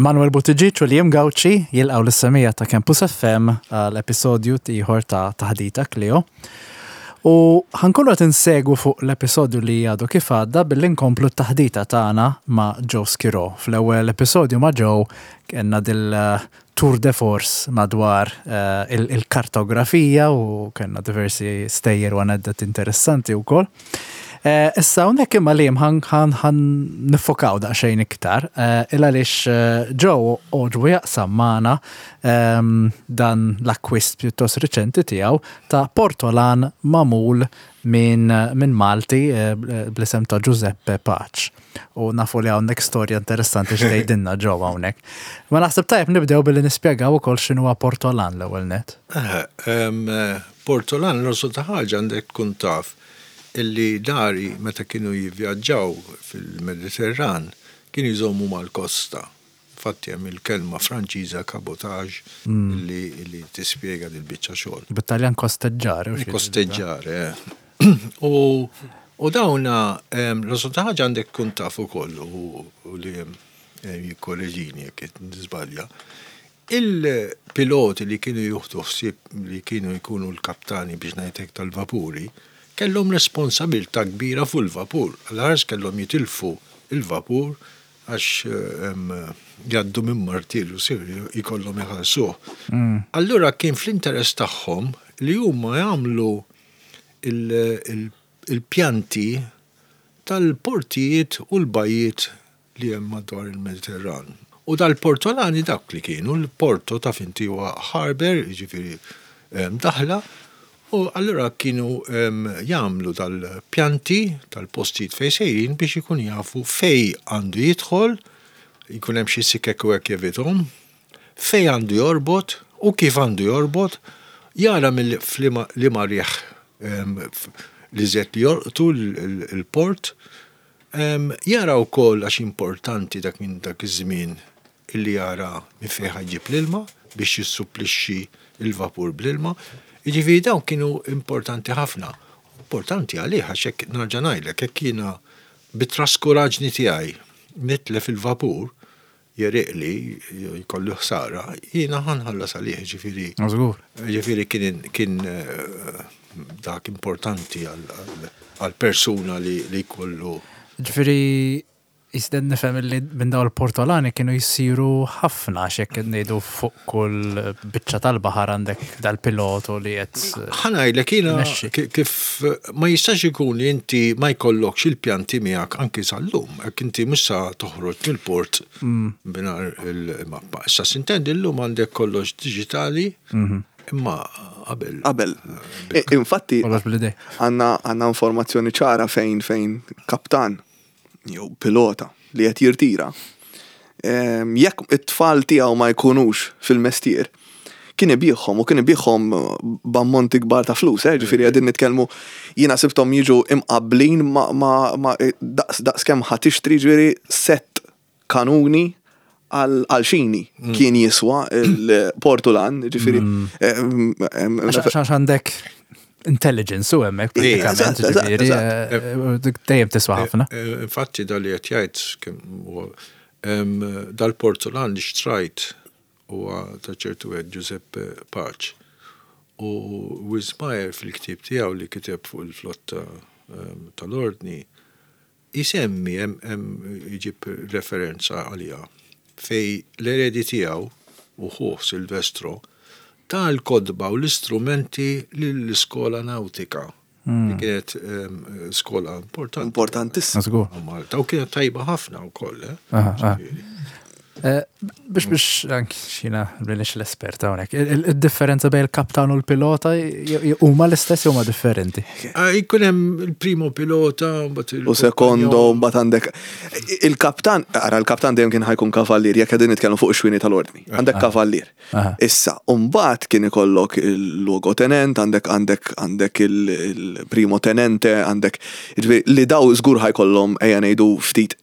Manuel Buttigieg u Liam Gauci jilqgħu lis-semija ta' Campus FM għal episodju ieħor ta' Taħdita Kleo. U ħankunu qed insegwu fuq l-episodju li għadu kif għadda billi nkomplu t-taħdita tagħna ma' Joe Schirò. Fl-ewwel episodju ma' Joe kellna dil tour de force madwar il-kartografija u kellna diversi stejjer u aneddoti interessanti wkoll. Issa hawnhekk imma Liam ħan niffokaw daqsxejn iktar il għaliex Joe għoġbu jaqsam magħna dan l-akkwist pjuttost riċenti tiegħu ta' portolan magħmul minn Malti bl-isem ta' Giuseppe Pace. U nafu li hawnhekk storja interessanti x'tgħidilna Joe hawnhekk. Ma naħseb tajjeb nibdew billi nispjegaw ukoll x'inhuwa portolan l-ewwel nett. Portolan l-orsu ta' ħaġa għandek tkun taf illi dari meta kienu jivvjaġġaw fil-Mediterran kienu jżommu mal-kosta. Infatti hemm il-kelma Franċiża cabotage illi tispjega dil-biċċa xogħol. Bit-Taljan kosteggiare. Kosteggiare, eh. U dawna, l-orsu ta' ħaġa għandek tkun taf ukoll u li jikkoreġini jekk qed niżbalja. Il-piloti li kienu jieħdu ħsieb li kienu jkunu l-kaptani biex ngħid hekk tal-vapuri, kellhom responsabilità kbira fuq il-vapur. Għall-ħares kellhom jitilfu l-vapur għax jgħaddu minn martirju serju jkollhom iħallsuh. Allura kien fl-interess tagħhom li huma jagħmlu il-pjanti tal-portijiet u l-bajjiet li hemm madwar il-Mediterran. U dal-portolani dawk li kienu, l-porto taf inti huwa harbour, jiġifieri daħla, u allura kienu jagħmlu dal-pjanti tal-postijiet fejn sejrin biex ikun jafu fejn għandu jidħol, jkun hemm xi sikek u hekk jevithom, fejn għandu jorbot u kif għandu jorbot, jara mill-liema riħ l-iżjed li jolqtu l-port, Jara wkoll għax importanti dak minn dak iż-żmien illi jara minn fejn ħa jġib l-ilma biex jissupplixxi l-vapur bl-ilma. Jiġifieri dawn kienu importanti ħafna. Importanti għalih għax hekk nerġa' ngħidlek hekk jiena bit-traskuraġni tiegħi nitlef il-vapur, jegħriqli, jkollu ħsara, jiena ħa nħallas għalih, jiġifieri. Żgur. Jiġifieri kien kien dak importanti għal persuna li jkollu. Ġifieri jisden nifhem li minn dawn il-portolani kienu jsiru ħafna għax jekk ngħidu fuq kull biċċa tal-baħar għandek dal-pilotu li qed. Ħa ngħidlek jiena kif ma jistax ikun li inti ma jkollokx il-pjanti miegħek anki sal-lum. Jekk inti mhux sa toħroġ mill-port mingħajr il-mappa. Issa sintendi llum għandek kollox diġitali, imma qabel. Qabel. Infatti, għandna informazzjoni ċara fejn fejn kaptan jew pilota li qed jirtira. Jekk it-tfal tiegħu ma jkunux fil-mestier, kien ibigħhom u kien ibigħhom b'ammonti kbar ta' flus, eh, ġifieri qegħdin nitkellmu jiena sibthom jiġu imqabblin ma' daqs daqs kemm ħa tixtri ġifieri sett kanuni għal xini mm. kien jiswa il-Portulan, ġifieri. Mm. Għax għandek intelligence u hemmhekk pratikament, ġifieri eh, dejjem tiswa ħafna. Eh, eh, infatti dal li qed jgħid dal-Portulan li xtrajt Huwa ta' ċertu wieħed Giuseppe Pace. U Wismayer fil-ktieb tiegħu li kiteb fuq il-flotta tal-Ordni jsemmi hemm jġib referenza għaliha fejn l-eredi tiegħu u ħuh Silvestro ta l-kotba u l-istrumenti lill-iskola nawtika. Li kienet skola importanti. Importantissima. Malta u kienet tajba ħafna wkoll. Eh? Eh, biex biex anki xina minix l-espert hawnhekk. Il-differenza bejn il-kaptan u l-pilota huma l-istess jew huma differenti? Ah, jkun hemm il-primo pilota u sekondo mbagħad għandek il-kaptan, ara l-kaptan dejjem kien ħajkun kavallier jekk qegħdin nitkellmu fuq ix-xwini tal-ordni. Għandek ah. kavallier. Issa, u mbagħad kien ikollok il-luogo tenent, għandek għandek għandek il-primo tenente, għandek jiġifieri li daw żgur ħajkollhom ejja ngħidu ftit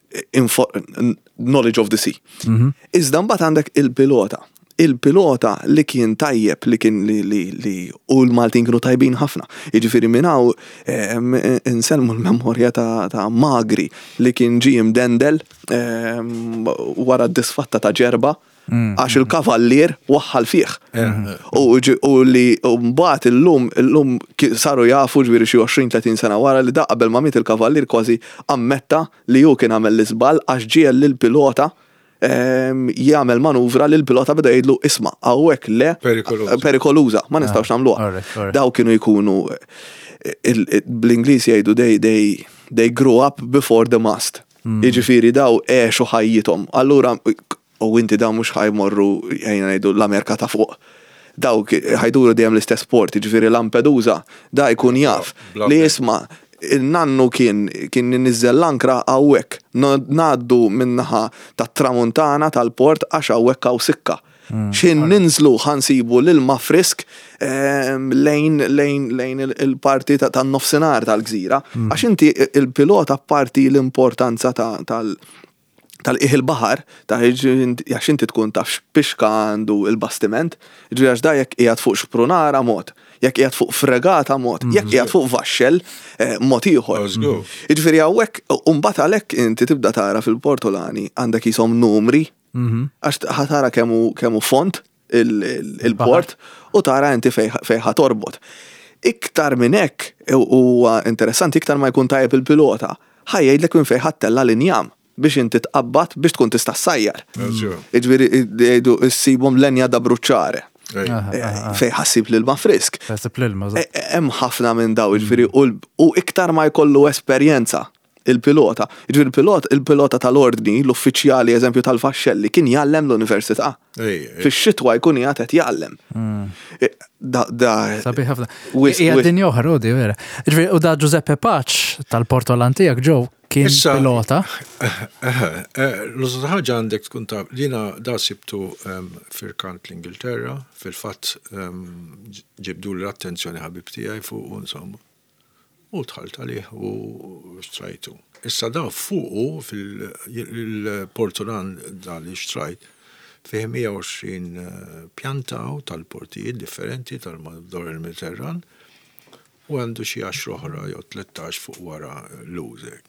knowledge of the sea. Mhm. Iżda mbagħad għandek il-pilota. Il-pilota li kien tajjeb li kien li li li u l-Maltin kienu tajbin ħafna. Jiġifieri minn hawn insellmu l-memorja ta' ta' Magri li kien ġie imdendel wara d-disfatta ta' Ġerba għax il-kavallier waħħal fih. U u li mbagħad illum illum saru jafu ġifieri xi 20-30 sena wara li da qabel ma miet il-kavallier kważi ammetta li hu kien għamel l-iżball għax ġiegħel lill-pilota jagħmel manuvra li l-pilota beda jgħidlu isma' hawnhekk le perikoluża, ma nistgħux ah, nagħmluha. Daw kienu jkunu bl-Ingliż jgħidu they they they grew up before the mast. Hmm. Jiġifieri daw għexu ħajjithom. Allura u inti daw mhux ħajmorru ejja ngħidu l-Amerika ta' fuq. Dawk ħajduru dejjem l-istess port, jiġifieri Lampedusa, da jkun jaf li jisma' in-nannu kien kien iniżżel l-ankra hawnhekk. Ngħaddu min-naħa tat-tramuntana tal-port għax hawnhekk hawn sikka. X'ħin ninżlu ħa nsibu l-ilma frisk lejn lejn lejn il-parti tan-nofsinhar tal-gżira. Għax inti il-pilota apparti l-importanza tal tal-qiegħ il-baħar, ta' għax inti tkun taf x'pixka għandu il-bastiment, ġifieri għax da jekk qiegħed fuq xprunara mod, jekk qiegħed fuq fregata mod, jekk qiegħed fuq vaxxell eh, mod ieħor. Jiġifieri hawnhekk u mbagħad għalhekk inti tibda tara fil-Portolani għandek jisom numri mhm. għax ħatara kemm hu font il-port u tara inti fejn ħa torbot. Iktar minn hekk huwa interessanti iktar ma jkun tajjeb il-pilota, ħa jgħidlek minn fejn ħa ttella' l-injam biex inti tqabbad biex tkun tista' ssajjar. Jiġifieri jgħidu ssibhom lenja da bruċċare. Fejn ħa ssib l-ilma frisk. Hemm ħafna minn daw, jiġifieri u iktar ma jkollu esperjenza il-pilota. Jiġifieri il-pilot, il-pilota tal-ordni, l-uffiċjali eżempju tal-vaxxelli kien jgħallem l-università. Fix-xitwa jkun qiegħed qed jgħallem. Mm. Da, da. Sabiħ ħafna. Hija dinja oħra, di vera. Jiġifieri u da Giuseppe Paċ tal-Portolan tiegħek ġew kien pilota. Eh, eh, eh, l-użu ħaġa għandek tkun ta' jiena da sibtu ehm, firkant l-Ingilterra, fil-fatt ehm, ġibdu l-attenzjoni ħabib tiegħi fuq insomma. U dħalt għalih u xtrajtu. Issa da fuqu fil-portulan da li xtrajt fih 120 eh, pjanta tal-portijiet differenti tal-madwar il-Mediterran u għandu xi 10 oħra jew 13 fuq wara l-użek.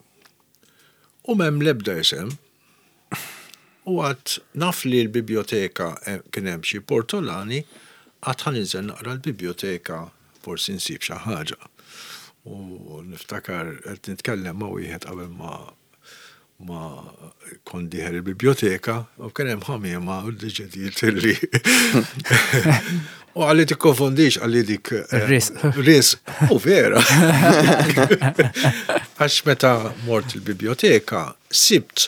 U m'hemm l-ebda isem. U għad naf li l-bibjoteka eh, kien hemm xi portolani, għad ħa ninżel naqra l-bibjoteka forsi nsib xi ħaġa. U niftakar qed nitkellem ma' wieħed qabel ma ma kont dieħel il-bibjoteka u kien hemm ħamiema u ddeċidiet li U għalli tikkonfondix għalli dik eh, Ris. Ris. U vera. Għax meta mort il-bibjoteka sibt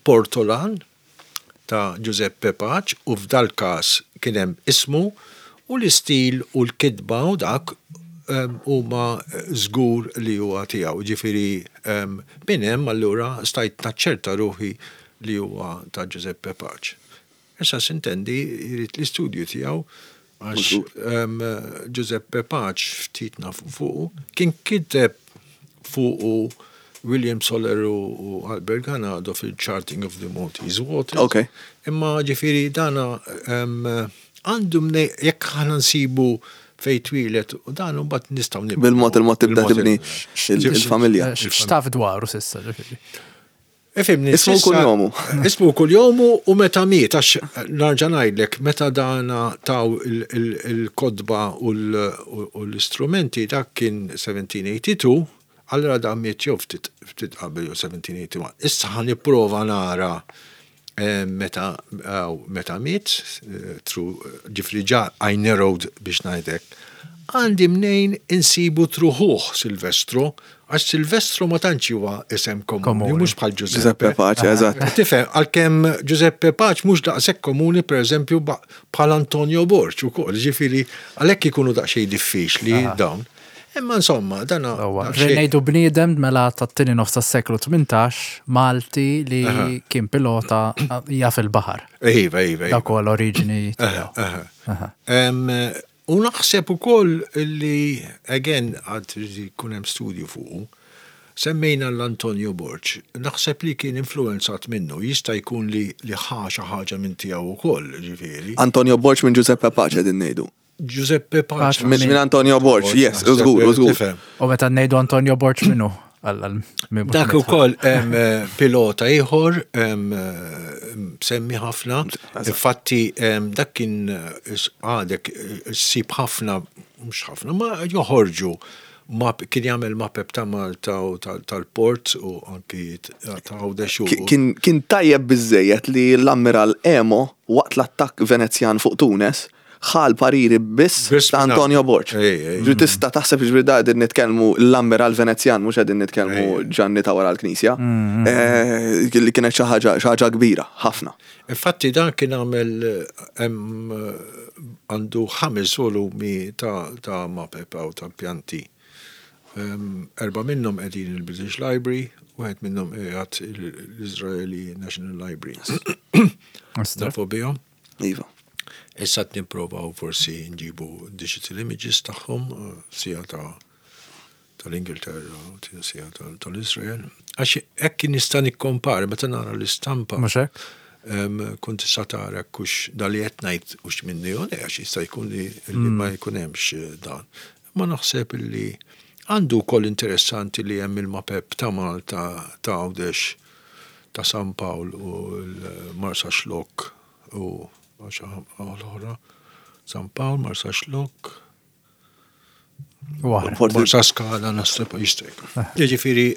Portolan ta' Giuseppe Pace u f'dal-każ kien hemm ismu u l-istil u l-kitba u dak huma żgur li huwa tiegħu. Jiġifieri minn hemm allura stajt naċċerta ruħi li huwa ta' Giuseppe Pace. Issa sintendi jrid l-istudju tiegħu għax Giuseppe Pace ftit nafu fuqu, kien kiteb fuqu William Soler u Albert Ganado fil-Charting of the Maltese Waters. Okay. Imma ġifieri dana għandu mnej jekk aħna nsibu fej twieled u dan mbagħad nistgħu nibnu. Bil-mod il-mod tibda tibni il-familja. X'taf dwaru s'issa ġifieri? Ifimni. Ismu kunjomu. Ismu kunjomu u meta miet, għax narġa' ngħidlek, meta dana taw il-kotba u l-istrumenti, dak kien 1782, allura dan miet jew ftit qabel jew 1781. Issa ħa nipprova nara eh, meta meta miet, eh, ġifri ġa I narrowed biex ngħidlek. Għandi mnejn insibu truħuh Silvestro Għax Silvestro ma tantx huwa isem komuni, mhux bħal Giuseppe. Giuseppe Pace, eżatt. Tifhem, għalkemm Giuseppe Pace mhux daqshekk komuni pereżempju bħal Antonio Borg ukoll, ġifieri għalhekk ikunu daqsxejn diffiċli dawn. Imma insomma, dan. Ngħidu bniedem mela tat-tieni nofs tas-seklu 18 Malti li kien pilota jaf il-baħar. Iva, iva. Dak huwa l-oriġini tiegħu. U naħseb ukoll li, again, għad irid ikun hemm studju fuqu. Semmejna l-Antonio Borg, naħseb li kien influenzat minnu, jista' jkun li li ħa xi ħaġa minn tiegħu wkoll, ġifieri. Antonio Borg minn Giuseppe Pace qegħdin ngħidu. Giuseppe Pace. Minn Antonio Borg, yes, żgur, żgur. U meta ngħidu Antonio Borg minnu? Dak ukoll hemm pilota ieħor semmi ħafna. Infatti dak kien għadek ssib ħafna, mhux ħafna, ma joħorġu map, kien jagħmel mapep ta' Malta u tal-port u anki ta' Għawdex u. Kien tajjeb biżżejjed li l-Ammiral Emo waqt l-attakk Venezjan fuq Tunes ħa l-pariri biss ta' Antonio Borg. Ġifieri tista' taħseb ġifieri da qegħdin nitkellmu l-Ammiral Venezjan mhux qegħdin nitkellmu Ġanni ta' wara l-Knisja. Li kienet xi ħaġa kbira ħafna. Infatti dan kien għamel hemm għandu ħames volumi ta' mapep u ta' pjanti. Erbgħa minnhom qegħdin il-British Library, wieħed minnhom qiegħed l-Israeli National Library. Nafu bihom. Iva. Issa qed nipprovaw forsi nġibu digital images tagħhom sija ta' tal-Ingilterra u sija tal-Israel. Għax hekk nista' nikkompara meta nara l-istampa. Mhux hekk? Kont tista' tara kux da li qed ngħid hux minni jew le għax jista' jkun li ma jkun hemmx dan. Ma naħseb li għandu wkoll interessanti li hemm il-mapep ta' Malta, ta' Għawdex, ta' San Pawl u l-Marsaxlokk u l-oħra. San Pawl, Marsaxlokk. Marsaskala naħseb jista' jkun. Jiġifieri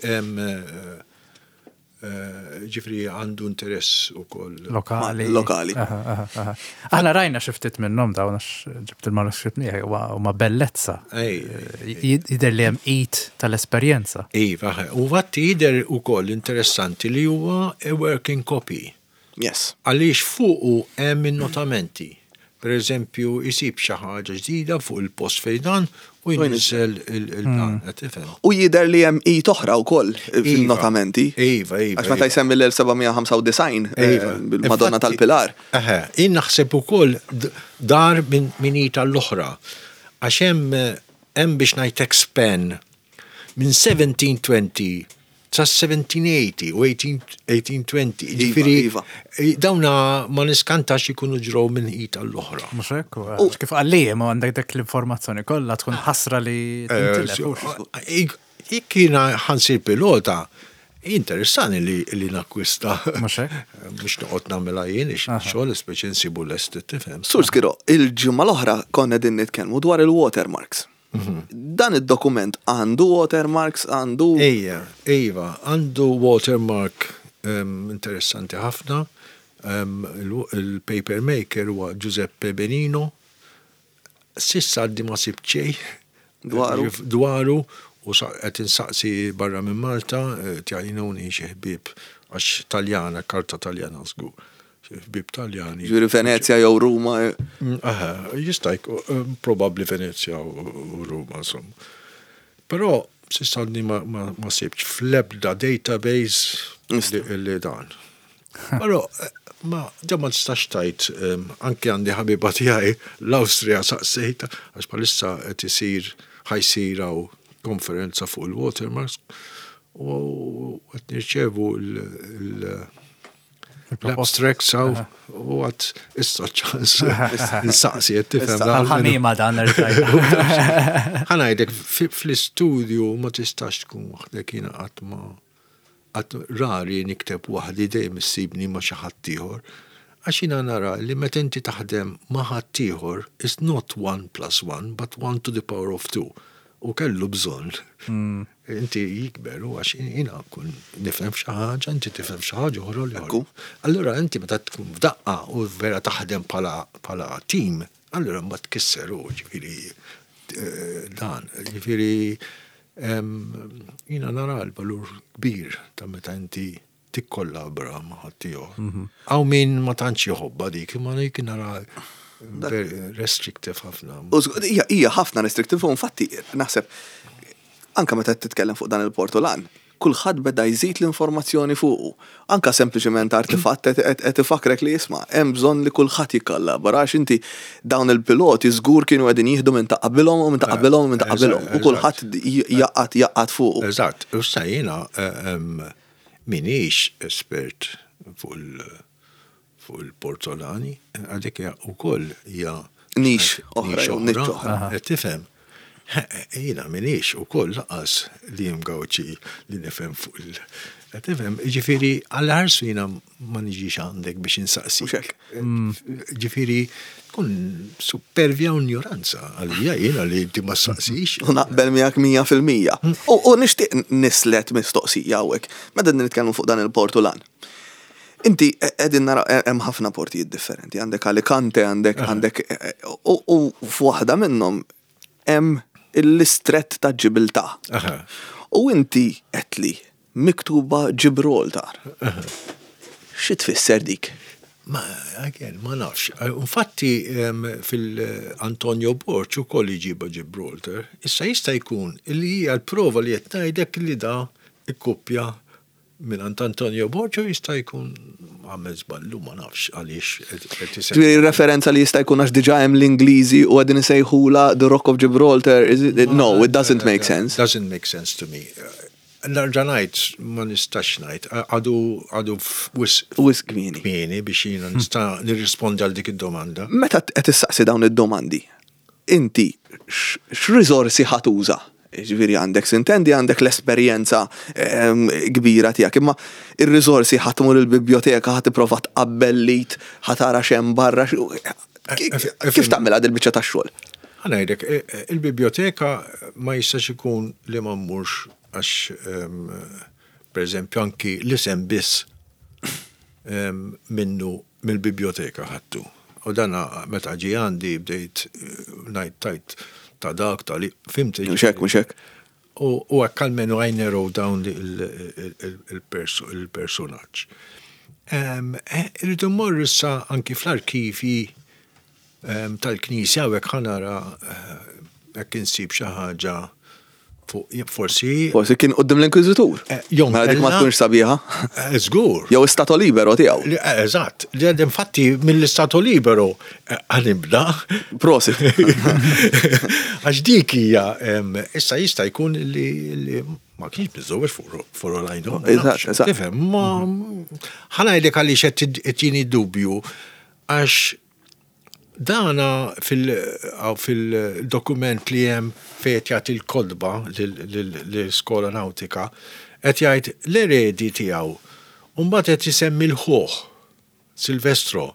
ġifieri għandu interess ukoll. Lokali. Lokali. Aħna rajna xi ftit minnhom dawn għax ġibt il-manuskritt miegħi huma bellezza. Jidher li hemm id tal-esperjenza. Iva, u fatti jidher ukoll interessanti li huwa a working copy. Yes. Għaliex fuqu hemm in-notamenti. Per eżempju, isib xi ħaġa ġdida fuq il-post fejn dan u jniżżel il-dan, qed tifhem. U jidher li hemm id oħra wkoll fin-notamenti. Iva, iva. Għax meta jsemmi l-1795 bil-Madonna tal-Pilar. Eħe, jien naħseb ukoll dar minn id għall-oħra. Għax hemm hemm biex ngħidlek span minn 1720 sa 1780 u 1820. Jiġifieri Iva. dawna ma niskantax ikunu ġraw minn id għall-oħra. Mhux hekk, kif qalli ma għandek dak l-informazzjoni kollha tkun ħasra li tintilef. Jekk jiena ħansir pilota, interessani li, li nakkwista. Mhux hekk? Mhux noqgħod nagħmilha jien xogħol speċi nsibu lest tifhem. Sur Skiro, il-ġimgħa l-oħra konna din nitkellmu dwar il-watermarks. Dan id-dokument għandu watermarks, għandu. Ejja, iva, għandu watermark interessanti ħafna. Il-paper maker huwa Giuseppe Benino. Sissa għaddi ma sibt xejn Dwaru. Dwaru u qed insaqsi barra minn Malta, tgħinuni xi ħbieb għax Taljana, karta Taljana żgur. Ħbieb Taljani. Ġifieri Venezja jew Ruma. Aha, jista' jkun probabbli Venezja u Ruma, insomma. Però s'issa għadni ma sibtx fl-ebda database li dan. Però ma ġa ma tistax tgħid anke għandi ħabiba tiegħi l-Awstrija saqsejtha għax bħalissa qed isir ħa jsir hawn konferenza fuq il-watermarks u qed nirċevu l- L-abstracts għaw u għat issa ċans nsaqsi qed tifhem. Għal-ħamima dan Ħa ngħidlek fl-istudju ma tistax tkun waħdek jiena qatt ma qatt rari nikteb waħdi dejjem issibni ma' xi ħadd ieħor. Għax jiena nara li meta inti taħdem ma' ħadd ieħor it's not one plus one but one to the power of two. U kellu bżonn. Inti jikber u għax jiena kun nifhem xi ħaġa, inti tifhem xi ħaġa oħra li oħra. Allura inti meta tkun f'daqqa u vera taħdem bħala team, allura mbagħad tkisser u ġifieri dan, ġifieri jiena nara l-valur kbir ta' meta inti tikkollabra ma' ħaddieħor. Hawn min ma tantx jħobbha dik, imma dik nara restrictive ħafna. Hija ħafna restrictive u infatti naħseb anke meta titkellem fuq dan il-portolan. Kulħadd beda jżid l-informazzjoni fuqu. Anka sempliċement artifatt qed ifakkrek li isma' hemm bżonn li kulħadd jikkollabora għax inti dawn il-piloti żgur kienu qegħdin jieħdu minn ta' qabilhom u minn ta' qabilhom u minn ta' qabilhom u kulħadd jaqgħad jaqgħad fuqu. Eżatt, u issa jiena m'iniex espert fuq il-portolani, għadik hija wkoll hija Nix oħra, jew niċċa oħra. Qed tifhem? Jiena m'iniex ukoll lanqas li hemm Gawċi li nifhem fuq il. Qed tifhem? Jiġifieri għall-ħarsu jiena ma niġix għandek biex insaqsik. Mhux hekk. Ġifieri tkun supervja u injoranza għalija jiena li inti ma ssaqsix. U naqbel miegħek 100%. U nixtieq nislet mistoqsija hawnhekk. Meta nitkellmu fuq dan il-Portulan. Inti qegħdin nara hemm ħafna portijiet differenti, għandek Alicante, għandek għandek u f'waħda minnhom hemm l-istrett ta' Ġibiltà. U inti għedtli miktuba Gibraltar. Xi tfisser dik? Ma, again, ma nafx. Infatti fil-Antonio Borg ukoll iġibha Gibraltar. Issa jista' jkun li hija l-prova li qed ngħidlek li da ikkuppja Mingħand Antonio Borg u jista' jkun għamel żball u ma nafx għaliex qed isemmi. Ġifieri referenza li jista' jkun għax diġà hemm l-Ingliżi u qegħdin isejħulha The Rock of Gibraltar, is it? No, it doesn't make sense. Doesn't make sense to me. Nerġa' ngħid, ma nistax ngħid, għadu għadu wisq Wisq kmieni. Kmieni biex jiena nista' nirrispondi għal dik id-domanda. Meta qed issaqsi dawn id-domandi, Inti x'riżorsi ħa tuża? Jiġifieri għandek sintendi għandek l-esperjenza kbira tiegħek, imma ir-riżorsi ħa tmur il-bibjoteka ħa tipprova tqabbel l-id, ħa tara x'hemm barra, kif tagħmilha dil-biċċa tax-xogħol? Ħa ngħidlek, il-bibjoteka ma jistax ikun li ma mmurx għax pereżempju anki l-isem biss minnu mill-bibjoteka ħadtu. U dan meta ġie għandi bdejt ngħid tajt ta' dak ta' li, fhimt? Mhux hekk, mhux hekk. U hekk almenu I narrow down il-persunaġġ. Irrid immorr issa anki fl-arkivji tal-Knisja u hekk ħa nara jekk insib xi ħaġa fuq forsi. Forsi kien quddiem l-Inkwiżitur. Jew Mela dik ma tkunx sabiħa. Żgur. Jew istato libero tiegħu. Eżatt. Infatti mill-istato libero ħa nibda. Prosit. Għax dik hija issa jista' jkun li ma kienx miżżewweġ for all I know. Eżatt, eżatt. Tifhem, ma ħa ngħidlek għaliex qed ittini dubju għax Dana fil-dokument li hemm fejn qed jagħti l-kotba lill-iskola nawtika, qed jgħid l-eredi tiegħu u mbagħad qed isemmi l-ħuh, Silvestro.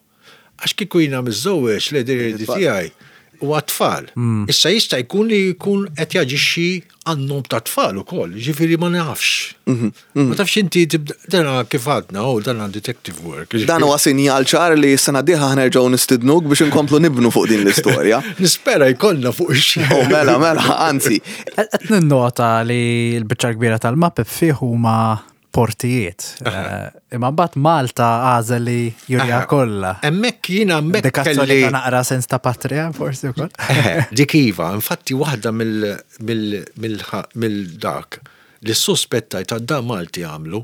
Għax kieku jiena miżżewweġ l-eredi tiegħi huwa t-tfal. Issa jista' jkun li jkun qed jaġixxi għan-nom tat-tfal ukoll, jiġifieri ma nafx. Ma tafx inti tibda, dana kif għadna, oh, dana detective work. Dan huwa sinjal ċar li s-sena d-dieħla ħa nerġgħu nistidnuk biex inkomplu nibnu fuq din l-istorja. Nispera jkollna fuq ix-xejn. Oh, mela, mela, anzi. Qed ninnota li l-biċċa kbira tal-mapep fih huma portijiet. Imma mbagħad Malta għażel li jurija kollha. Hemmhekk jiena hemmhekk kelli naqra sens ta' patria forsi wkoll. Dik iva, infatti waħda mill-dak li suspettajt ta' da Malti għamlu.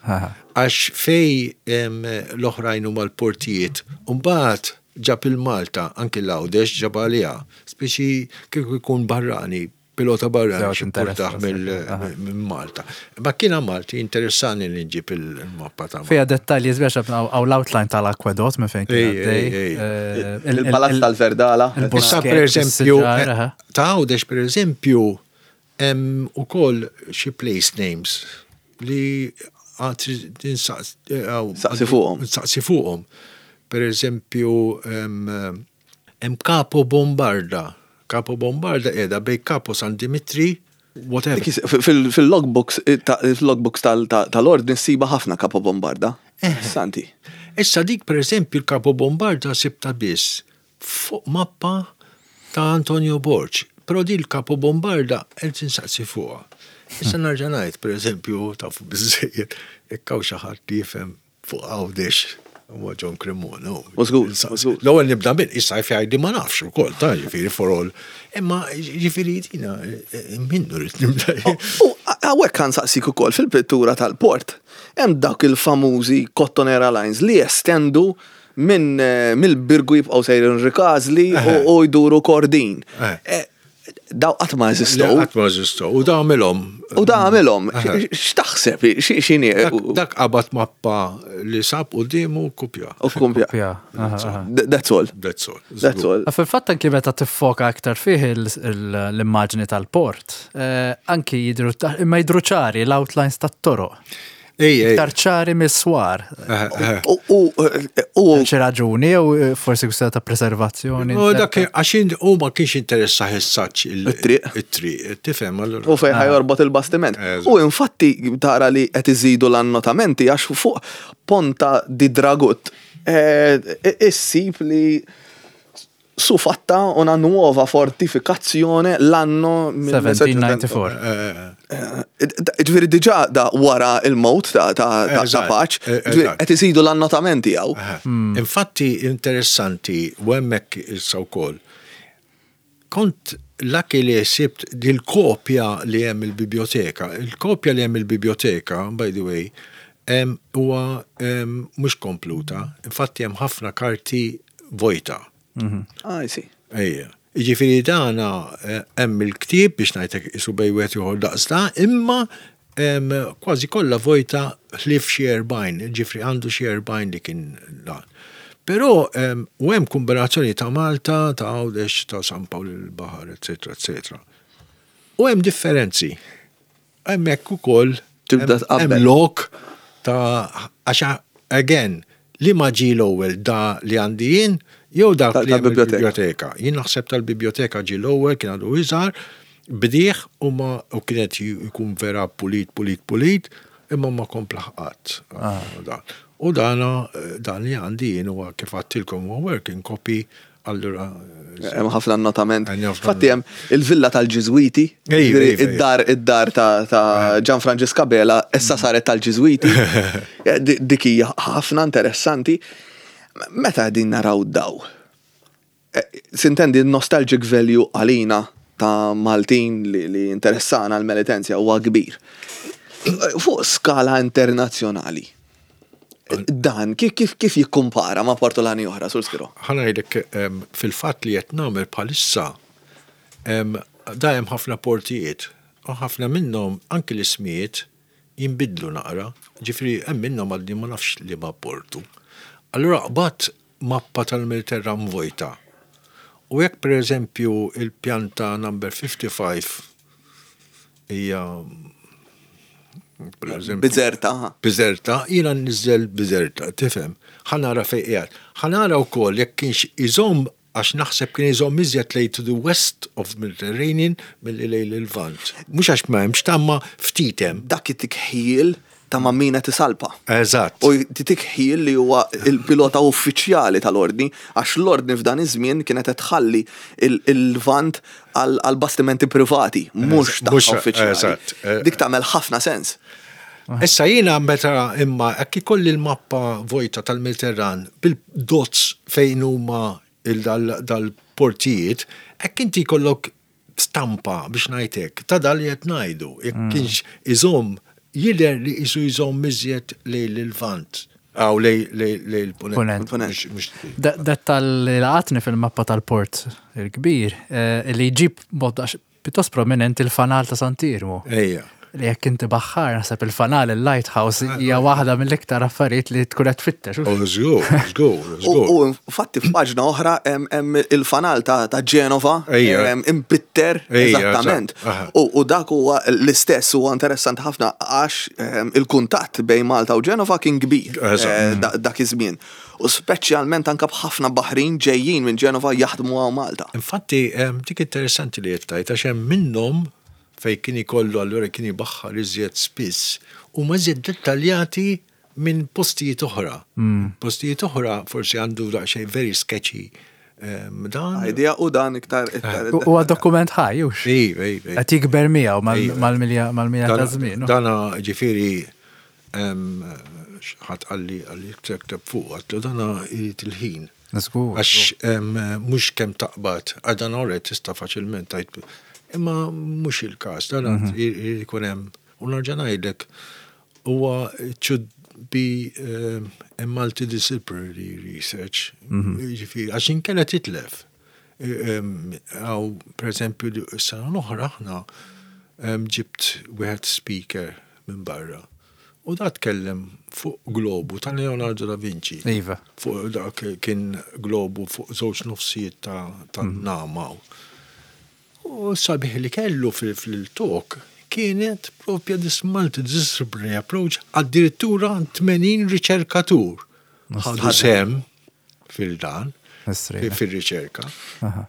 Għax fej l-oħrajn huma l-portijiet, u mbagħad ġab il-Malta, anki l-Għawdex ġab għaliha. Speċi kieku jkun barrani Pilota barrani Żewġ xi interess minn Malta. Ma kiena Malti interessani li nġib il-mappa ta' Fija dettalji sbiex għaw l-outline tal-akwedot minn fejn kien għaddej. Il-Palazz tal-Verdala. Issa per eżempju, ta' Għawdex per eżempju, hemm ukoll xi place names li għad Saqsi fuqhom. Saqsi fuqhom. Per eżempju, Hemm Capo Bombarda. Capo Bombarda qiegħda bejn Capo San Dimitri, whatever. Fil-logbooks fil-logbooks tal-ordni ssiba ħafna Capo Bombarda. Santi. Issa dik pereżempju l-Capo Bombarda sibtha biss fuq mappa ta' Antonio Borg. Però din l-Capo Bombarda qed insaqsi fuqha. Issa nerġa' ngħid pereżempju tafu biżżejjed jekk hawn xi ħadd li jifhem fuq Għawdex. Huwa John Cremona. U żgur, u żgur. L-ewwel nibda bil, issa jgħidli ma nafx ukoll, ta' ġifieri for all. Imma ġifieri dina minnu rrid nibda. U hawnhekk kan saqsik ukoll fil-pittura tal-port, hemm dawk il-famużi Cottonera Lines li jestendu minn mill-Birgu jibqgħu sejrin Rikażli u jduru Kordin. Daw qatt ma eżistow. Qatt ma eżistow. U da għamilhom. U da għamilhom. X'taħseb? X'inhi? Dak qabad mappa li sab quddiemu u kkupja. U kkupja. That's all. That's all. That's all. Fil-fatt anki meta tiffoka aktar fih l-immaġni tal-port, anki jidhru imma jidhru ċari l-outlines tat-toroq. Iktar ċari mis-swar. U u Xi raġuni jew forsi kwistjoni ta' preservazzjoni. U dak għax u ma kienx interessa ħessaċ it-triq. It-triq, tifhem allura. U fejn ħajorbot il-bastiment. U infatti tara li qed iżidu l-annotamenti għax fuq Ponta di Dragut issib li su fatta una nuova fortificazione l'anno 1794. Ġifieri diġà da wara il-mowt ta' Paċ, qed isidu l-annotamenti hawn. Infatti interessanti u hemmhekk issa wkoll. Kont lucky li sibt dil-kopja li hemm il-biblioteka. Il-kopja li hemm il-biblioteka, by the way, huwa mhux kompluta. Infatti hemm ħafna karti vojta. Ah, I see. Ejja. Jiġifieri dana hemm il-ktieb biex ngħidlek isu bejn wieħed ieħor daqs da, imma kważi kollha vojta ħlief xi 40, ġifri għandu xi 40 li kien dan. Però u hemm kombinazzjoni ta' Malta, ta' Għawdex, ta' San Pawl il-Baħar, eċetera, eċetera. U hemm differenzi. Hemmhekk ukoll Tibda tqabbel. Hemm lok ta' għax again li ma ġie l-ewwel da li għandi jien jew dak li hemm il-biblioteka. Jien naħseb tal-biblioteka ġie l-ewwel kien għadu iżgħar, bdieh u ma u kienet jkun vera pulit pulit pulit imma ma kompla qatt. U dana dan li għandi jien huwa kif għadtilkom huwa working copy. Allura. Hemm ħafna annotament. Infatti hemm il-villa tal-Ġiżwiti, id-dar id-dar ta' Gian Franġisk Abela issa saret tal-Ġiżwiti. Dik hija ħafna interessanti. Meta qegħdin naraw daw? Sintendi n-nostalgic value għalina ta' Maltin li interessana l-Melitenzja huwa kbir. Fuq skala internazzjonali. Dan kif kif jikkumpara ma' portolani oħra, Sur Schirò? Ħa ngħidlek fil-fatt li qed nagħmel bħalissa da hemm ħafna portijiet u ħafna minnhom anki l-ismijiet jinbidlu naqra, ġifieri hemm minnhom għadni ma nafx liema portu. Allura qbadt mappa tal-Mediterran vojta u jekk pereżempju il-pjanta number 55 hija Bizerta. Bizerta, jiena nniżżel Bizerta, tifhem. Ħa nara fejn qiegħed. Ħa nara wkoll jekk kienx iżomm għax naħseb kien iżomm iżjed lejn to the west of Mediterranean milli lejn il-Lvant. Mhux għax ma hemmx ta' imma ftit hemm. Dak it-tikħil ta' ma' min qed isalpa. Eżatt. U jtik ħjiel li huwa l-pilota uffiċjali tal-Ordni, għax l-Ordni f'dan iż-żmien kienet qed tħalli l-Lvant għal bastimenti privati, mhux tagħha uffiċjali. Dik tagħmel ħafna sens. Issa jiena meta imma hekk ikolli l-mappa vojta tal-Mediterran bil-dots fejn huma dal-portijiet, hekk inti jkollok stampa biex ngħid hekk ta' dan li qed ngħidu, jekk kienx iżomm jidher li qisu jżomm iżjed lejn il-Lvant, aw lejn il-Punent. Dettal li laqatni fil-mappa tal-port il-kbir li jġib mod pjuttost prominenti l-fanal ta' Sant'Iermu. Ejja. Li jekk inti baħħar naħseb il-fanal il-lighthouse hija waħda mill-iktar affarijiet li tkun qed tfittex. Oh, żgur, żgur, żgur. U infatti f'paġna oħra hemm il-fanal ta' Ġenova impitter eżattament. U dak huwa l-istess huwa interessanti ħafna għax il-kuntatt bejn Malta u Ġenova kien kbir dak iż-żmien. U speċjalment anke b'ħafna baħrin ġejjin minn Ġenova jaħdmu hawn Malta. Infatti dik interessanti li qed tgħid għax hemm minnhom fejn kien ikollu allura kien ibaħħar iżjed spiss, huma iżjed dettaljati minn postijiet oħra. Postijiet oħra forsi għandu daqsxejn very sketchy dan. Idea u dan iktar. Huwa dokument ħaj, hux? Iva, iva. Qed jikber miegħu mal-milja ta' żmien. Dana ġifieri Ħadd qalli qalli ikteb fuq, għedtlu dana jrid il-ħin. Żgur. Għax mhux kemm taqbad, għax dan alright tista' faċilment tgħid, imma mhux il-każ, dan irid ikun hemm, u nerġa' ngħidlek, huwa it should be a multidisciplinary research, jiġifieri għax inkella titlef. Għaw, per eżempju, s-sena l-oħra aħna ġibt wieħed speaker minn barra. U da tkellem fuq globu ta' Leonardo da Vinci. Iva. Fuq dak kien globu fuq żewġ nofsijiet ta' mm. namaw. U sabiħ li kellu fil-talk kienet propja this multidisciplinary approach addirittura 80 riċerkatur. Ħadu sem fil-dan, fil-riċerka.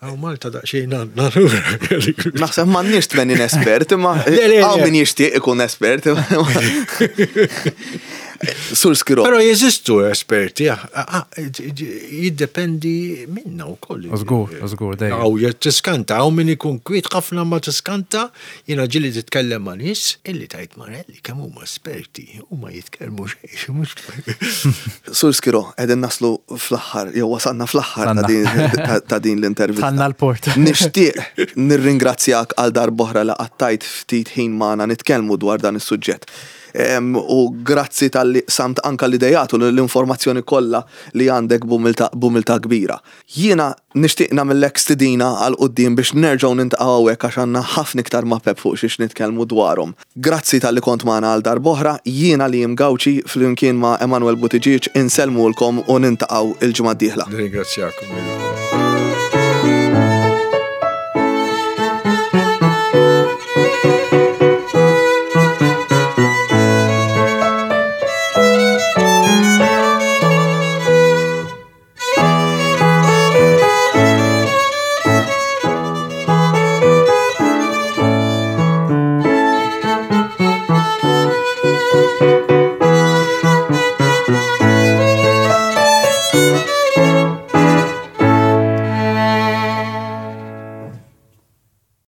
Għaw Malta daqxejn għandna lura. Naħseb m'għandniex 80 espert, imma għaw min jixtieq ikun espert. Sur Skiro. Però jeżistu esperti, jiddependi minna u koll. Żgur, żgur, dejjem. Għaw tiskanta, għaw min ikun kwiet ħafna ma tiskanta, jiena ġili titkellem ma' nies illi tajt marelli kemm huma esperti, huma jitkellmu xejn, mhux. Sur Schirò, qegħdin naslu fl-aħħar, jew wasalna fl-aħħar ta' din l-intervista. Tħallna l-port. Nixtieq nirringrazzjak għal darb'oħra li qattajt ftit ħin magħna nitkellmu dwar dan is-suġġett. U grazzi talli qsamt anka l-idejat u l-informazzjoni kollha li għandek b'umiltà kbira. Jiena nixtieq nagħmillek stidina għal quddiem biex nerġgħu nintaqgħu hawnhekk għax għandna ħafna iktar mapep fuq xiex nitkellmu dwarhom. Grazzi talli kont magħna għal darb'oħra, jiena Liam Gauci flimkien ma' Emanuel Buttigieg insellmulkom u nintaqgħu il-ġimgħa d-dieħla. Nirringrazzjakom lilkom.